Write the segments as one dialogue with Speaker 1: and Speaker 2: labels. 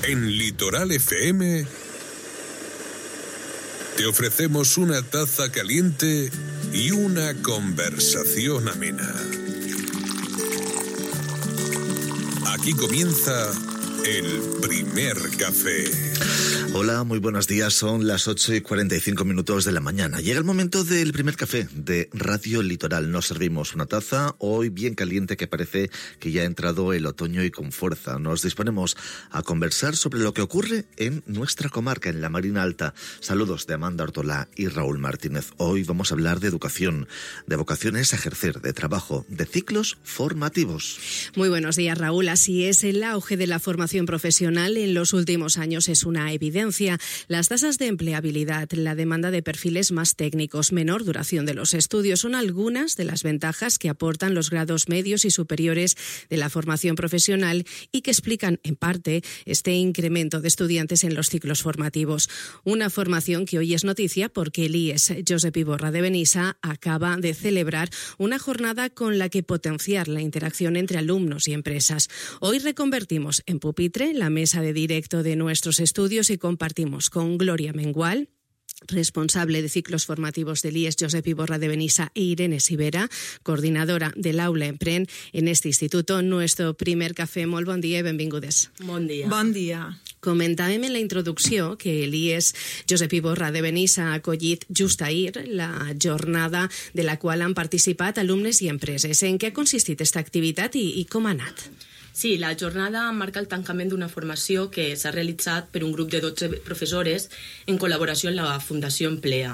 Speaker 1: En Litoral FM te ofrecemos una taza caliente y una conversación amena. Aquí comienza el primer café.
Speaker 2: Hola, muy buenos días. Son las 8:45 de la mañana. Llega el momento del primer café de Radio Litoral. Nos servimos una taza, hoy bien caliente, que parece que ya ha entrado el otoño y con fuerza. Nos disponemos a conversar sobre lo que ocurre en nuestra comarca, en la Marina Alta. Saludos de Amanda Ortolá y Raúl Martínez. Hoy vamos a hablar de educación, de vocaciones a ejercer, de trabajo, de ciclos formativos.
Speaker 3: Muy buenos días, Raúl. Así es, el auge de la formación profesional en los últimos años es una evidencia. Las tasas de empleabilidad, la demanda de perfiles más técnicos, menor duración de los estudios son algunas de las ventajas que aportan los grados medios y superiores de la formación profesional y que explican, en parte, este incremento de estudiantes en los ciclos formativos. Una formación que hoy es noticia porque el IES Josep Iborra de Benissa acaba de celebrar una jornada con la que potenciar la interacción entre alumnos y empresas. Hoy reconvertimos en pupitre la mesa de directo de nuestros estudios y compartimos con Gloria Mengual, responsable de ciclos formativos del IES Josep Iborra de Benissa, e Irene Sivera, coordinadora del Aula Empren en este instituto. Nuestro primer café. Molt bon dia i benvingudes.
Speaker 4: Bon dia.
Speaker 5: Bon dia.
Speaker 3: Comentàvem en la introducció que l'IES Josep Iborra de Benissa ha acollit just ahir la jornada de la qual han participat alumnes i empreses. En què ha consistit aquesta activitat i com ha anat?
Speaker 4: Sí, la jornada marca el tancament d'una formació que s'ha realitzat per un grup de 12 professores en col·laboració amb la Fundació Emplea,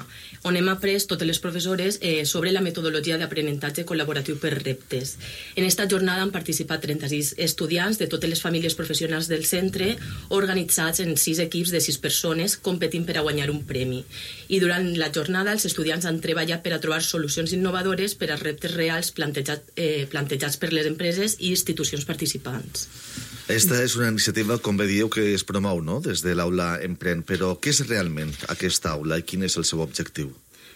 Speaker 4: on hem après totes les professores sobre la metodologia d'aprenentatge col·laboratiu per reptes. En esta jornada han participat 36 estudiants de totes les famílies professionals del centre, organitzats en 6 equips de 6 persones, competint per a guanyar un premi. I durant la jornada els estudiants han treballat per a trobar solucions innovadores per als reptes reals plantejats per les empreses i institucions participants.
Speaker 2: Esta és una iniciativa, com bé dieu, que es promou, no?, des de l'Aula Empren. Però què és realment aquesta aula i quin és el seu objectiu?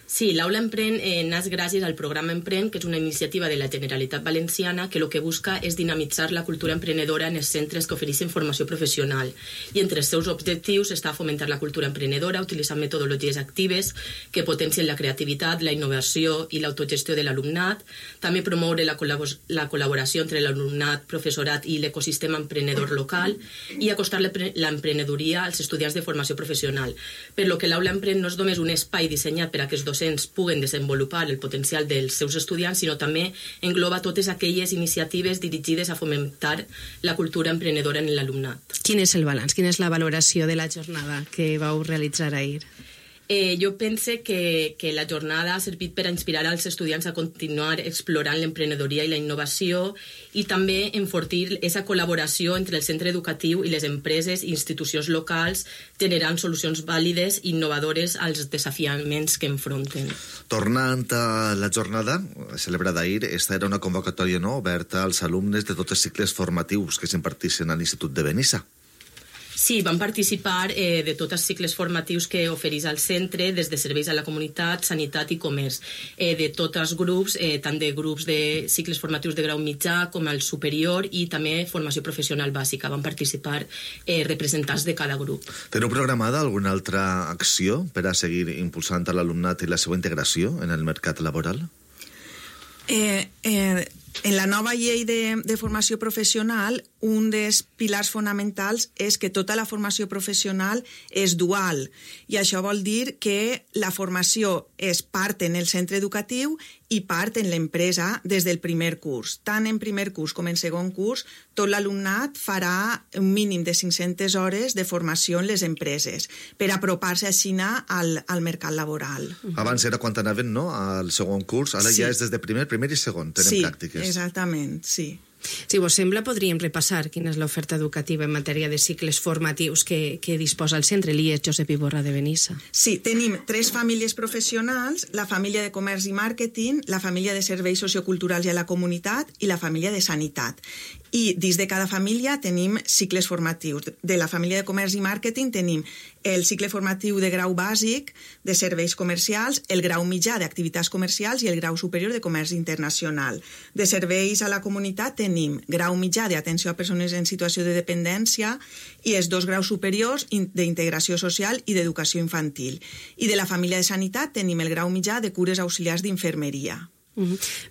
Speaker 4: Sí, l'Aula Empren naix gràcies al programa Empren, que és una iniciativa de la Generalitat Valenciana que el que busca és dinamitzar la cultura emprenedora en els centres que ofereixen formació professional. I entre els seus objectius està fomentar la cultura emprenedora utilitzant metodologies actives que potencien la creativitat, la innovació i l'autogestió de l'alumnat, també promoure la col·laboració entre l'alumnat, professorat i l'ecosistema emprenedor local i acostar l'emprenedoria als estudiants de formació professional. Per lo que l'Aula Empren no és només un espai dissenyat per a aquests docents puguen desenvolupar el potencial dels seus estudiants, sinó també engloba totes aquelles iniciatives dirigides a fomentar la cultura emprenedora en l'alumnat.
Speaker 3: Quin és el balanç? Quina és la valoració de la jornada que vau realitzar ahir?
Speaker 4: Jo pense que la jornada ha servit per a inspirar als estudiants a continuar explorant l'emprenedoria i la innovació i també enfortir aquesta col·laboració entre el centre educatiu i les empreses i institucions locals, generant solucions vàlides i innovadores als desafiaments que enfronten.
Speaker 2: Tornant a la jornada celebrada ahir, esta era una convocatòria, no?, oberta als alumnes de tots els cicles formatius que s'imparteixen a l'Institut de Benissa.
Speaker 4: Sí, van participar de tots els cicles formatius que ofereix el centre, des de serveis a la comunitat, sanitat i comerç, de tots els grups, tant de grups de cicles formatius de grau mitjà com el superior i també formació professional bàsica. Van participar representants de cada grup.
Speaker 2: Teniu programada alguna altra acció per a seguir impulsant a l'alumnat i la seva integració en el mercat laboral?
Speaker 5: En la nova llei de formació professional, un dels pilars fonamentals és que tota la formació professional és dual. I això vol dir que la formació és part en el centre educatiu i part en l'empresa des del primer curs. Tant en primer curs com en segon curs, tot l'alumnat farà un mínim de 500 hores de formació en les empreses per apropar-se així al mercat laboral.
Speaker 2: Abans era quan anaven, no?, al segon curs, ara ja és des de primer i segon, tenen pràctiques.
Speaker 5: Sí, exactament, sí.
Speaker 3: Si vos sembla, podríem repassar quina és l'oferta educativa en matèria de cicles formatius que disposa el centre, l'IES Josep Iborra de Benissa.
Speaker 5: Sí, tenim 3 famílies professionals, la família de comerç i màrqueting, la família de serveis socioculturals i a la comunitat i la família de sanitat. I dins de cada família tenim cicles formatius. De la família de comerç i màrqueting tenim el cicle formatiu de grau bàsic de serveis comercials, el grau mitjà d'activitats comercials i el grau superior de comerç internacional. De serveis a la comunitat tenim grau mitjà d'atenció a persones en situació de dependència i els 2 graus superiors d'integració social i d'educació infantil. I de la família de sanitat tenim el grau mitjà de cures auxiliars d'infermeria.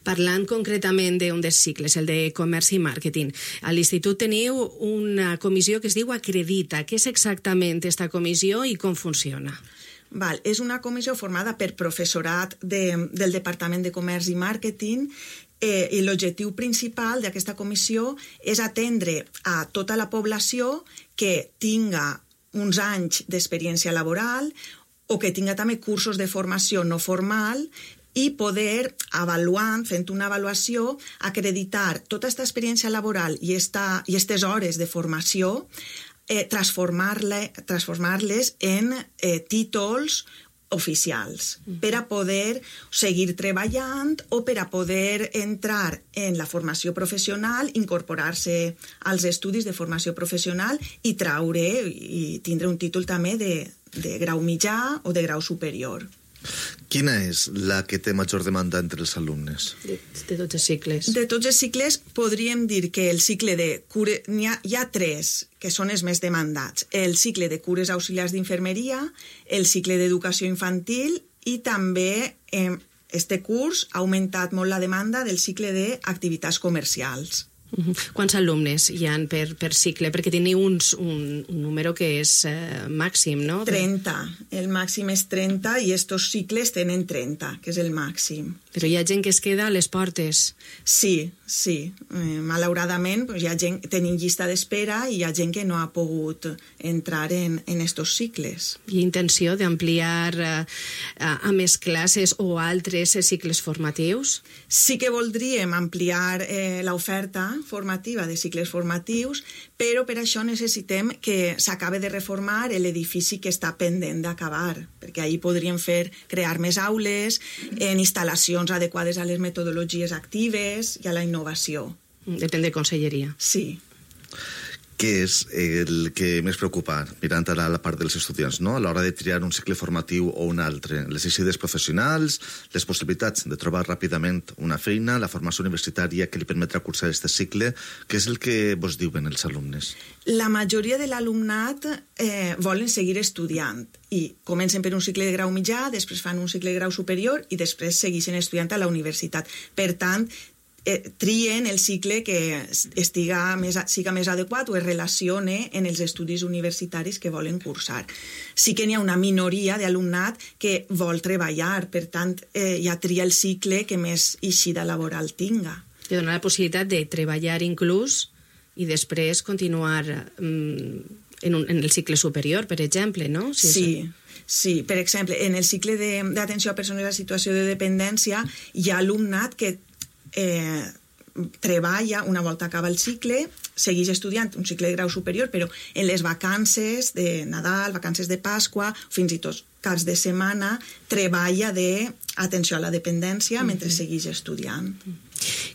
Speaker 3: Parlant concretament d'un dels cicles, el de comerç i màrqueting, a l'Institut teniu una comissió que es diu Acredita. Què és exactament aquesta comissió i com funciona?
Speaker 5: És una comissió formada per professorat del Departament de Comerç i Màrqueting i l'objectiu principal d'aquesta comissió és atendre a tota la població que tinga uns anys d'experiència laboral o que tinga també cursos de formació no formal i poder, avaluant, fent una avaluació, acreditar tota aquesta experiència laboral i aquestes hores de formació, transformar-les en títols oficials per a poder seguir treballant o per a poder entrar en la formació professional, incorporar-se als estudis de formació professional i traure i tindre un títol també de grau mitjà o de grau superior.
Speaker 2: Quina és la que té major demanda entre els alumnes?
Speaker 3: De tots els cicles.
Speaker 5: De tots els cicles podríem dir que el cicle de cures... Hi ha 3 que són els més demandats. El cicle de cures auxiliars d'infermeria, el cicle d'educació infantil i també este curs ha augmentat molt la demanda del cicle d'activitats comercials.
Speaker 3: Quants alumnes hi ha per cicle? Perquè teniu un número que és màxim, no?
Speaker 5: 30. El màxim és 30 i estos cicles tenen 30, que és el màxim.
Speaker 3: Però hi ha gent que es queda a les portes.
Speaker 5: Sí. Malauradament hi ha gent, tenim llista d'espera i hi ha gent que no ha pogut entrar en estos cicles.
Speaker 3: Hi ha intenció d'ampliar a més classes o altres cicles formatius?
Speaker 5: Sí que voldríem ampliar l'oferta formativa de cicles formatius, però per això necessitem que s'acabe de reformar l'edifici que està pendent d'acabar, perquè ahir podríem crear més aules, en instal·lacions adequades a les metodologies actives i a la innovació.
Speaker 3: Depèn de conselleria.
Speaker 5: Sí.
Speaker 2: Què és el que més preocupa, mirant ara la part dels estudiants, no? A l'hora de triar un cicle formatiu o un altre? Les exides professionals, les possibilitats de trobar ràpidament una feina, la formació universitària que li permetrà cursar aquest cicle, què és el que vos diuen els alumnes?
Speaker 5: La majoria de l'alumnat volen seguir estudiant i comencen per un cicle de grau mitjà, després fan un cicle de grau superior i després segueixen estudiant a la universitat. Per tant, trien el cicle que siga més adequat o es relacione en els estudis universitaris que volen cursar. Sí que n'hi ha una minoria d'alumnat que vol treballar, per tant, ja tria el cicle que més eixida laboral tinga.
Speaker 3: Que dona la possibilitat de treballar inclús i després continuar en el cicle superior, per exemple, no?
Speaker 5: Sí, per exemple, en el cicle d'atenció a persones en situació de dependència hi ha alumnat que treballa, una volta acaba el cicle, segueix estudiant un cicle de grau superior, però en les vacances de Nadal, vacances de Pasqua, fins i tot caps de setmana, treballa d'atenció a la dependència mentre segueix estudiant.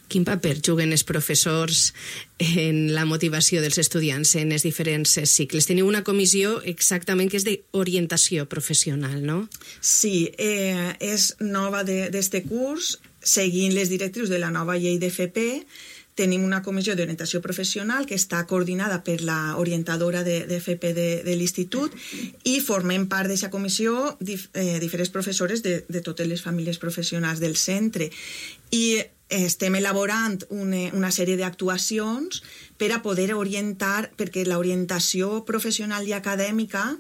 Speaker 3: Quin paper juguen els professors en la motivació dels estudiants en els diferents cicles? Teniu una comissió exactament que és d'orientació professional, no?
Speaker 5: Sí, és nova d'este curs, seguint les directrius de la nova llei d'FP. Tenim una comissió d'orientació professional que està coordinada per l'orientadora d'FP de l'Institut i formem part d'aquesta comissió diferents professores de totes les famílies professionals del centre. I estem elaborant una sèrie d'actuacions per a poder orientar, perquè l'orientació professional i acadèmica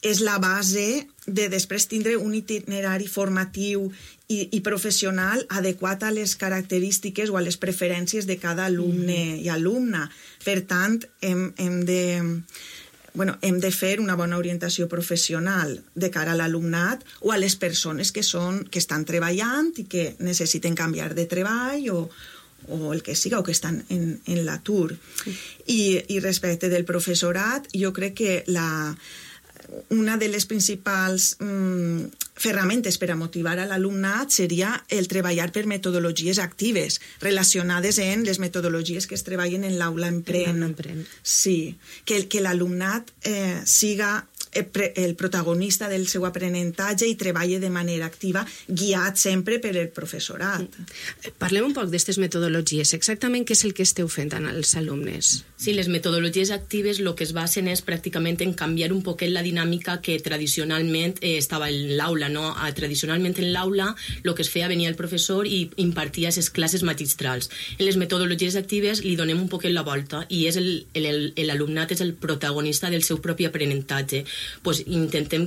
Speaker 5: és la base de després tindre un itinerari formatiu i professional adequat a les característiques o a les preferències de cada alumne i alumna. Per tant, hem de fer una bona orientació professional de cara a l'alumnat o a les persones que estan treballant i que necessiten canviar de treball o el que siga, o que estan en l'atur. I respecte del professorat, jo crec que una de les principals ferramentes per a motivar a l'alumnat seria el treballar per metodologies actives relacionades en les metodologies que es treballen en l'aula Emprèn. Sí, que l'alumnat siga el protagonista del seu aprenentatge i treballa de manera activa, guiat sempre per el professorat.
Speaker 3: Parlem un poc d'aquestes metodologies. Exactament què és el que esteu fent amb els alumnes?
Speaker 4: Sí, les metodologies actives el que es basen és pràcticament en canviar un poquet la dinàmica que tradicionalment estava en l'aula, no? Tradicionalment en l'aula el que es feia, venia el professor i impartia les classes magistrals. En les metodologies actives li donem un poquet la volta i és l'alumnat és el protagonista del seu propi aprenentatge. Pues intentem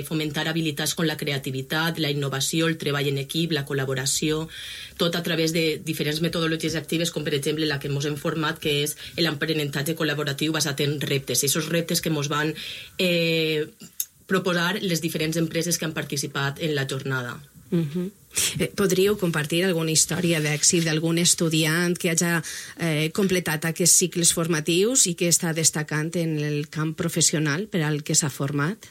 Speaker 4: fomentar habilitats com la creativitat, la innovació, el treball en equip, la col·laboració, tot a través de diferents metodologies actives, com per exemple la que ens hem format, que és l'aprenentatge col·laboratiu basat en reptes. I aquests reptes que ens van proposar les diferents empreses que han participat en la jornada.
Speaker 3: Podríeu compartir alguna història d'èxit d'algun estudiant que hagi completat aquests cicles formatius i que està destacant en el camp professional per al que s'ha format?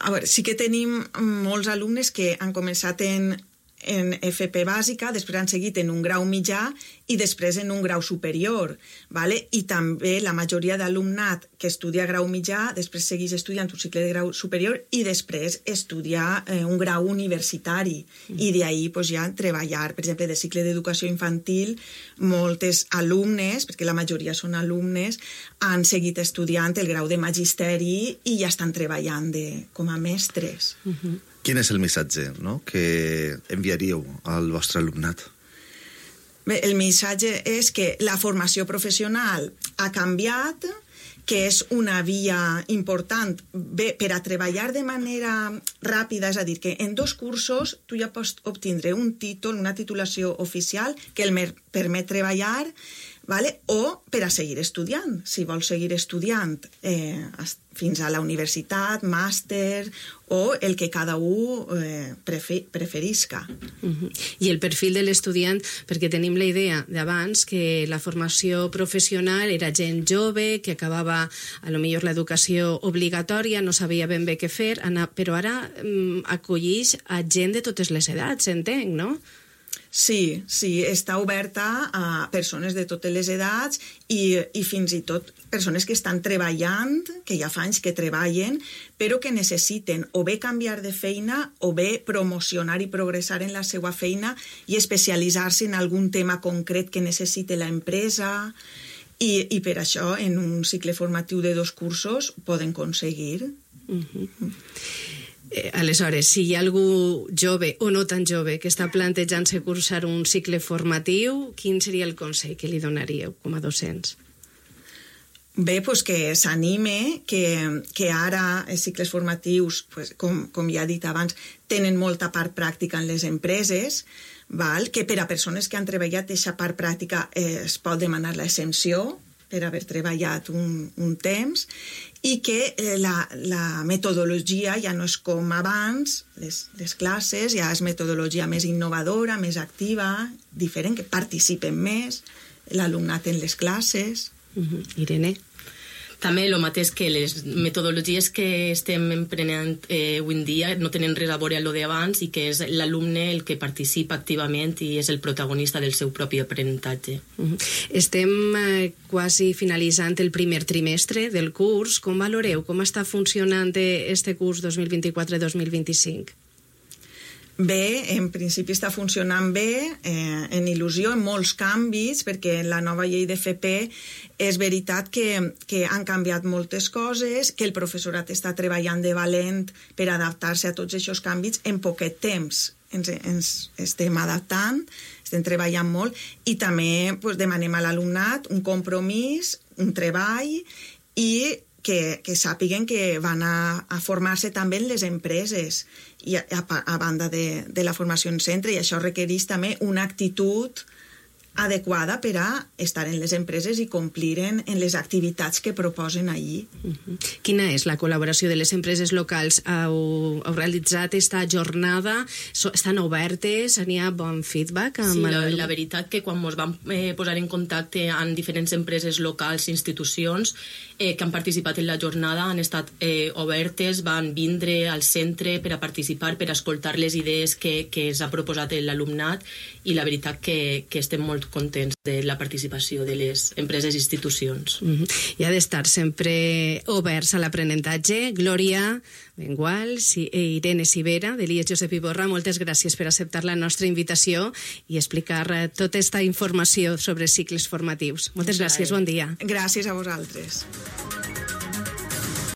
Speaker 5: A veure, sí que tenim molts alumnes que han començat en FP bàsica, després han seguit en un grau mitjà i després en un grau superior, ¿vale? I també la majoria d'alumnat que estudia grau mitjà després segueix estudiant un cicle de grau superior i després estudiar un grau universitari i d'ahir pues, ja treballar, per exemple, de cicle d'educació infantil, moltes alumnes, perquè la majoria són alumnes, han seguit estudiant el grau de magisteri i ja estan treballant com a mestres.
Speaker 2: Quin és el missatge, no?, que enviaríeu al vostre alumnat?
Speaker 5: Bé, el missatge és que la formació professional ha canviat, que és una via important per a treballar de manera ràpida, és a dir, que en 2 cursos tu ja pots obtindre un títol, una titulació oficial que el permet treballar, ¿vale? O per a seguir estudiant, si vols seguir estudiant fins a la universitat, màster o el que cada un preferisca.
Speaker 3: I el perfil de l'estudiant, perquè tenim la idea d'abans que la formació professional era gent jove, que acabava a lo millor l'educació obligatòria, no sabia ben bé què fer, però ara acollix a gent de totes les edats, entenc, no?
Speaker 5: Sí, està oberta a persones de totes les edats i fins i tot persones que estan treballant, que ja fa anys que treballen, però que necessiten o bé canviar de feina o bé promocionar i progressar en la seva feina i especialitzar-se en algun tema concret que necessite l'empresa i per això en un cicle formatiu de 2 cursos poden aconseguir.
Speaker 3: Aleshores, si hi ha algú jove o no tan jove que està plantejant-se cursar un cicle formatiu, quin seria el consell que li donaríeu com a docents?
Speaker 5: Bé, doncs que s'anime, que ara els cicles formatius, com ja he dit abans, tenen molta part pràctica en les empreses, que per a persones que han treballat aquesta part pràctica es pot demanar l'exempció per haver treballat un temps, i que la metodologia ja no és com abans, les classes, ja és metodologia més innovadora, més activa, diferent, que participen més l'alumnat en les classes.
Speaker 3: Irene?
Speaker 4: També el mateix que les metodologies que estem emprenent avui en dia no tenen res a veure amb el d'abans i que és l'alumne el que participa activament i és el protagonista del seu propi aprenentatge.
Speaker 3: Estem quasi finalitzant el primer trimestre del curs. Com valoreu? Com està funcionant este curs 2024-2025?
Speaker 5: Bé, en principi està funcionant bé, en il·lusió, en molts canvis, perquè en la nova llei d'FP és veritat que han canviat moltes coses, que el professorat està treballant de valent per adaptar-se a tots aquests canvis en poquet temps. Ens estem adaptant, estem treballant molt i també demanem a l'alumnat un compromís, un treball i que sàpiguen que van a formar-se també en les empreses i a banda de la formació en centre, i això requereix també una actitud adequada per a estar en les empreses i complir en les activitats que proposen allí.
Speaker 3: Quina és la col·laboració de les empreses locals? Heu realitzat esta jornada? Estan obertes? N'hi ha bon feedback?
Speaker 4: Sí, la veritat que quan ens vam posar en contacte amb diferents empreses locals i institucions que han participat en la jornada han estat obertes, van vindre al centre per a participar, per a escoltar les idees que s'ha proposat l'alumnat, i la veritat que estem molt contents de la participació de les empreses i institucions.
Speaker 3: I ha d'estar sempre oberts a l'aprenentatge. Glòria Bengual, Irene Civera, de l'IES Josep Iborra, moltes gràcies per acceptar la nostra invitació i explicar tota aquesta informació sobre cicles formatius. Moltes gràcies, bon dia.
Speaker 5: Gràcies a vosaltres.